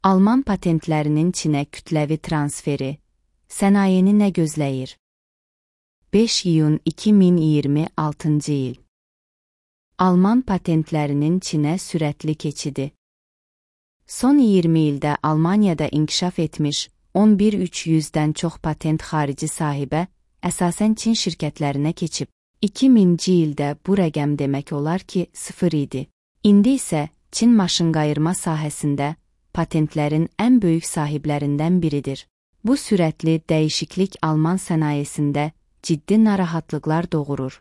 Alman patentlərinin Çinə kütləvi transferi, sənayeni nə gözləyir? 5 iyun 2026 il. Alman patentlərinin Çinə sürətli keçidi. Son 20 ildə Almaniyada inkişaf etmiş 11.300-dən çox patent xarici sahibə, əsasən Çin şirkətlərinə keçib. 2000-ci ildə bu rəqəm demək olar ki, 0 idi. İndi isə Çin maşınqayırma sahəsində patentlərin ən böyük sahiblərindən biridir. Bu sürətli dəyişiklik Alman sənayesində ciddi narahatlıqlar doğurur.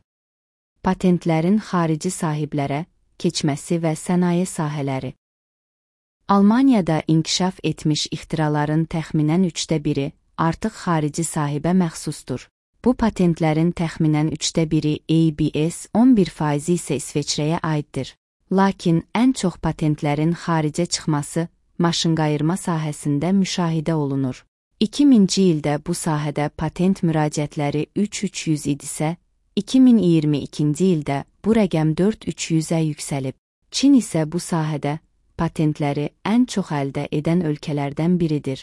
Patentlərin xarici sahiblərə keçməsi və sənaye sahələri. Almaniyada inkişaf etmiş ixtiraların təxminən 1/3 artıq xarici sahibə məxsusdur. Bu patentlərin təxminən 1/3 ABS, 11% isə İsveçrəyə aiddir. Lakin ən çox patentlərin xaricə çıxması maşınqayırma sahəsində müşahidə olunur. 2000-ci ildə bu sahədə patent müraciətləri 3300 idisə, 2022-ci ildə bu rəqəm 4300-ə yüksəlib. Çin isə bu sahədə patentləri ən çox əldə edən ölkələrdən biridir.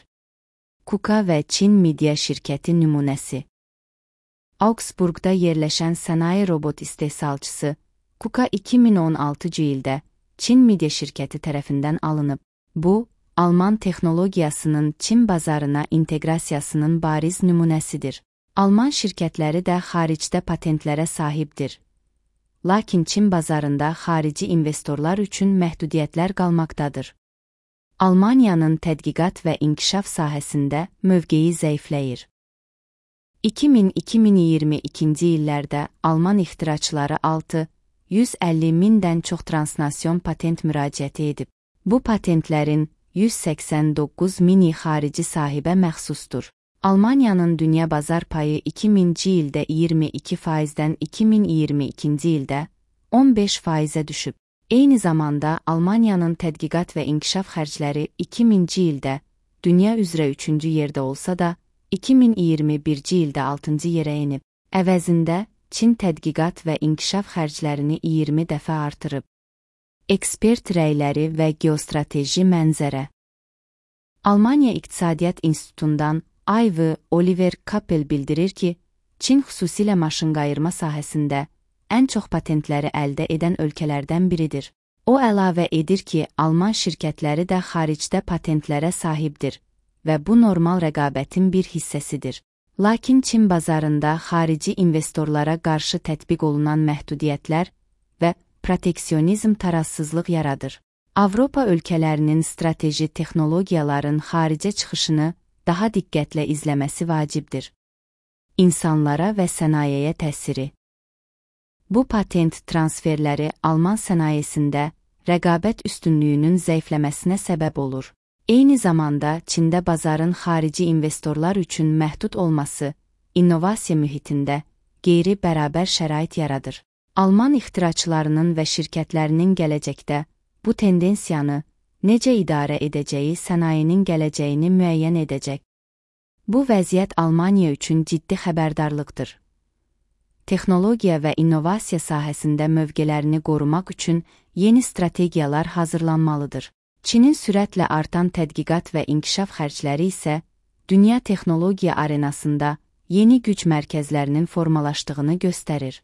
KUKA və Çin Media şirkəti nümunəsi. Augsburgda yerləşən sənaye robot istehsalçısı KUKA 2016-cı ildə Çin Media şirkəti tərəfindən alınıb. Bu, Alman texnologiyasının Çin bazarına inteqrasiyasının bariz nümunəsidir. Alman şirkətləri də xaricdə patentlərə sahibdir. Lakin Çin bazarında xarici investorlar üçün məhdudiyyətlər qalmaqdadır. Almaniyanın tədqiqat və inkişaf sahəsində mövqeyi zəifləyir. 2000-2022-ci illərdə Alman ixtiraçıları 650 mindən çox transnasiyon patent müraciəti edib. Bu patentlərin 189 mini xarici sahibə məxsusdur. Almaniyanın dünya bazar payı 2000-ci ildə 22%-dən 2022-ci ildə 15%-ə düşüb. Eyni zamanda Almaniyanın tədqiqat və inkişaf xərcləri 2000-ci ildə dünya üzrə 3-cü yerdə olsa da, 2021-ci ildə 6-cı yerə enib. Əvəzində Çin tədqiqat və inkişaf xərclərini 20 dəfə artırıb. Ekspert rəyləri və geostrateji mənzərə. Almaniya İqtisadiyyat İnstitutundan Ayv Oliver Kappel bildirir ki, Çin xüsusilə maşınqayırma sahəsində ən çox patentləri əldə edən ölkələrdən biridir. O əlavə edir ki, Alman şirkətləri də xaricdə patentlərə sahibdir və bu normal rəqabətin bir hissəsidir. Lakin Çin bazarında xarici investorlara qarşı tətbiq olunan məhdudiyyətlər və proteksionizm tarazsızlıq yaradır. Avropa ölkələrinin strateji texnologiyaların xaricə çıxışını daha diqqətlə izləməsi vacibdir. İnsanlara və sənayəyə təsiri. Bu patent transferləri Alman sənayesində rəqabət üstünlüyünün zəifləməsinə səbəb olur. Eyni zamanda Çində bazarın xarici investorlar üçün məhdud olması, innovasiya mühitində qeyri-bərabər şərait yaradır. Alman ixtiraçılarının və şirkətlərinin gələcəkdə bu tendensiyanı necə idarə edəcəyi sənayenin gələcəyini müəyyən edəcək. Bu vəziyyət Almaniya üçün ciddi xəbərdarlıqdır. Texnologiya və innovasiya sahəsində mövqelərini qorumaq üçün yeni strategiyalar hazırlanmalıdır. Çinin sürətlə artan tədqiqat və inkişaf xərcləri isə dünya texnologiya arenasında yeni güc mərkəzlərinin formalaşdığını göstərir.